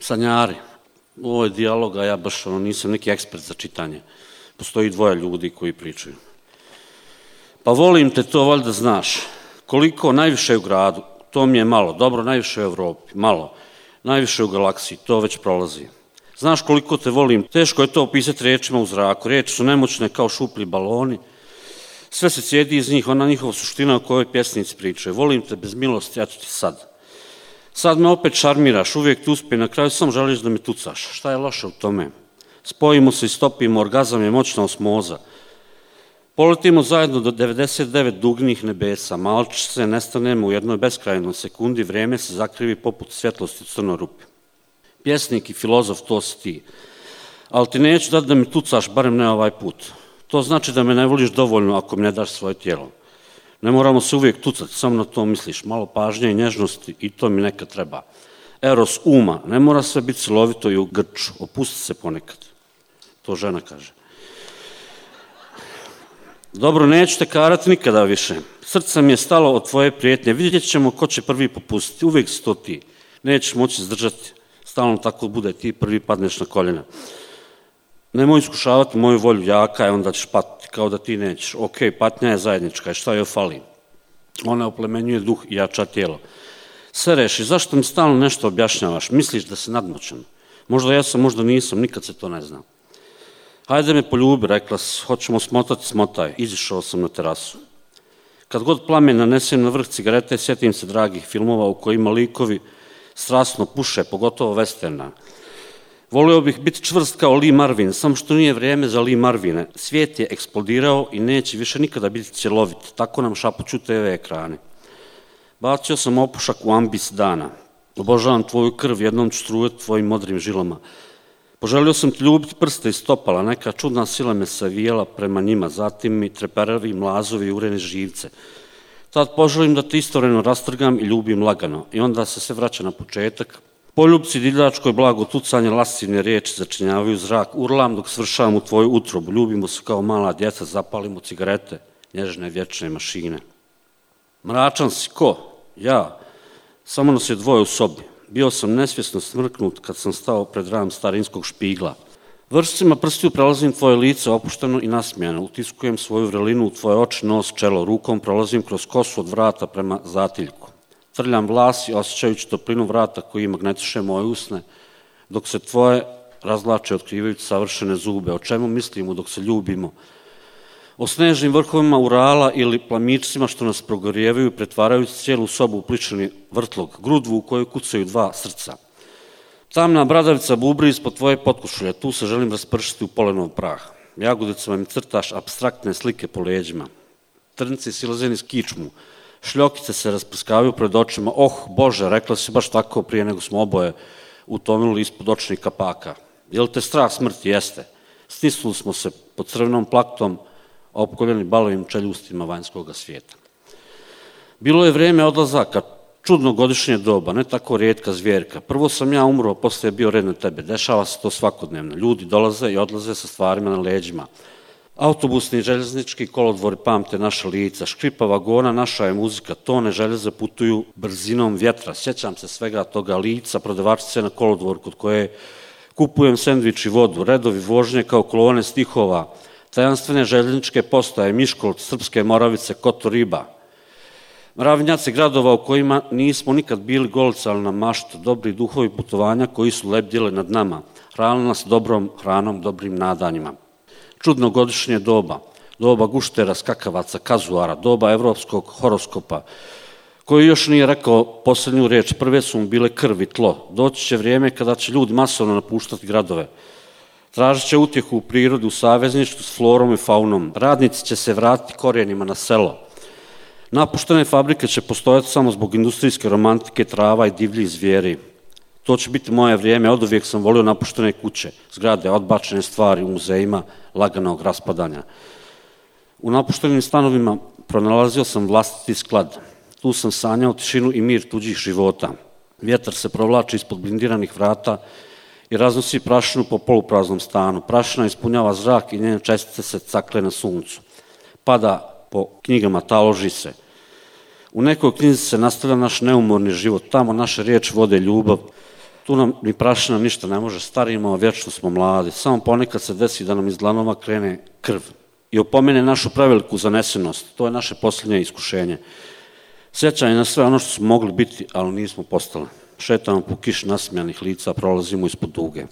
Sanjari. Ovo je dijalog, a ja baš nisam neki ekspert za čitanje. Postoji dvoje ljudi koji pričaju. Pa volim te, to valjda znaš. Koliko najviše u gradu, to mi je malo. Dobro, najviše u Evropi, malo. Najviše u galaksiji, to već prolazi. Znaš koliko te volim, teško je to opisati riječima u zraku. Riječi su nemoćne kao šuplji baloni. Sve se cijedi iz njih, ona njihova suština o kojoj pjesnici pričaju. Volim te bez milosti, eto ti sad. Sad me opet šarmiraš, uvijek ti uspije, na kraju samo želiš da me tucaš. Šta je loše u tome? Spojimo se i stopimo, orgazam je moćna osmoza. Poletimo zajedno do 99 dugnih nebesa, malčice, nestanemo u jednoj beskrajnoj sekundi, vrijeme se zakrivi poput svjetlosti u crnoj rupi. Pjesnik i filozof, to si ti. Ali ti neću dati da me tucaš, barem ne ovaj put. To znači da me ne voliš dovoljno ako mi ne daš svoje tijelo. Ne moramo se uvijek tucati, samo na to misliš. Malo pažnje i nježnosti i to mi nekad treba. Eros uma, ne mora sve biti silovito i u grču. Opusti se ponekad. To žena kaže. Dobro, neću te karati nikada više. Srce mi je stalo od tvoje prijetnje. Vidjet ćemo ko će prvi popustiti. Uvijek si to ti. Nećeš moći izdržati. Stalno tako bude, ti prvi padneš na koljena. Nemoj iskušavati moju volju, jaka je, onda ćeš patiti kao da ti nećeš. Ok, patnja je zajednička, i šta joj fali? Ona oplemenjuje duh i jača tijelo. Sve reši, zašto mi stalno nešto objašnjavaš? Misliš da si nadmoćan? Možda jesam, možda nisam, nikad se to ne zna. Hajde me poljubi, rekla si, hoćemo smotati, smotaj. Izišao sam na terasu. Kad god plamen nanesem na vrh cigarete, sjetim se dragih filmova u kojima likovi strasno puše, pogotovo westerna. Volio bih biti čvrst kao Lee Marvin, samo što nije vrijeme za Lee Marvine. Svijet je eksplodirao i neće više nikada biti cjelovit. Tako nam šapuću TV ekrane. Bacio sam opušak u ambis dana. Obožavam tvoju krv, jednom ću strujati tvojim modrim žilama. Poželio sam ti ljubiti prste i stopala, neka čudna sila me savijela prema njima, zatim mi treperavi mlazovi ureni živce. Tad poželim da te istovremeno rastrgam i ljubim lagano i onda se sve vraća na početak. Poljubci, divljačko i blago tucanje, lascivne riječi začinjavaju zrak, urlam dok svršavam u tvoju utrobu, ljubimo se kao mala djeca, zapalimo cigarete, nježne vječne mašine. Mračan si, ko? Ja. Samo nas je dvoje u sobi. Bio sam nesvjesno smrknut kad sam stao pred ram starinskog špigla. Vršcima prstiju prelazim tvoje lice opušteno i nasmijano, utiskujem svoju vrelinu u tvoje oči, nos, čelo, rukom prolazim kroz kosu od vrata prema zatiljku. Trljam vlas i osjećajući toplinu vrata koji magnetiše moje usne, dok se tvoje razlače otkrivajući savršene zube. O čemu mislimo dok se ljubimo? O snežnim vrhovima Urala ili plamičcima što nas progorijevaju, pretvarajući cijelu sobu u pličani vrtlog, grudvu u kojoj kucaju dva srca. Tamna bradavica bubri ispod tvoje potkošulje, tu se želim raspršiti u polenov prah. Jagodicama mi crtaš apstraktne slike po leđima. Trnci silaze niz kičmu, šljokice se rasprskavaju pred očima. Oh, Bože, rekla si baš tako prije nego smo oboje utonuli ispod očnih kapaka. Je li te strah smrti? Jeste. Stisnuli smo se pod crvenom plaktom, opkoljeni balovim čeljustima vanjskog svijeta. Bilo je vrijeme odlazaka, čudno godišnje doba, ne tako rijetka zvjerka. Prvo sam ja umro, poslije je bio red na tebe. Dešava se to svakodnevno. Ljudi dolaze i odlaze sa stvarima na leđima. Autobusni i željeznički kolodvori pamte naša lica, škripa vagona, naša je muzika, tone željeza putuju brzinom vjetra. Sjećam se svega toga lica, prodavačice na kolodvoru kod koje kupujem sendvič i vodu, redovi vožnje kao kolone stihova, tajanstvene željezničke postaje, Miškolt, Srpske Moravice, Kotoriba. Mravnjaci gradova u kojima nismo nikad bili golicali na maštu, dobri duhovi putovanja koji su lebdjeli nad nama, hranili nas dobrom hranom, dobrim nadanjima. Čudno godišnje doba, doba guštera, skakavaca, kazuara, doba evropskog horoskopa, koji još nije rekao posljednju riječ, prve su mu bile krv i tlo. Doći će vrijeme kada će ljudi masovno napuštati gradove. Tražit će utjehu u prirodi, u savezništvu s florom i faunom. Radnici će se vratiti korijenima na selo. Napuštene fabrike će postojati samo zbog industrijske romantike, trava i divljih zvijeri. To će biti moje vrijeme, oduvijek sam volio napuštene kuće, zgrade, odbačene stvari u muzejima laganog raspadanja. U napuštenim stanovima pronalazio sam vlastiti sklad. Tu sam sanjao tišinu i mir tuđih života. Vjetar se provlači ispod blindiranih vrata i raznosi prašinu po polupraznom stanu. Prašina ispunjava zrak i njene čestice se cakle na suncu. Pada po knjigama, taloži se. U nekoj knjizi se nastavlja naš neumorni život. Tamo naše riječi vode ljubav, Tu nam ni prašina ništa ne može, starimo, vječno smo mladi. Samo ponekad se desi da nam iz dlanova krene krv i opomene našu preveliku zanesenost. To je naše posljednje iskušenje. Sjećanje na sve ono što smo mogli biti, ali nismo postali. Šetamo po kiši nasmijanih lica, prolazimo ispod duge.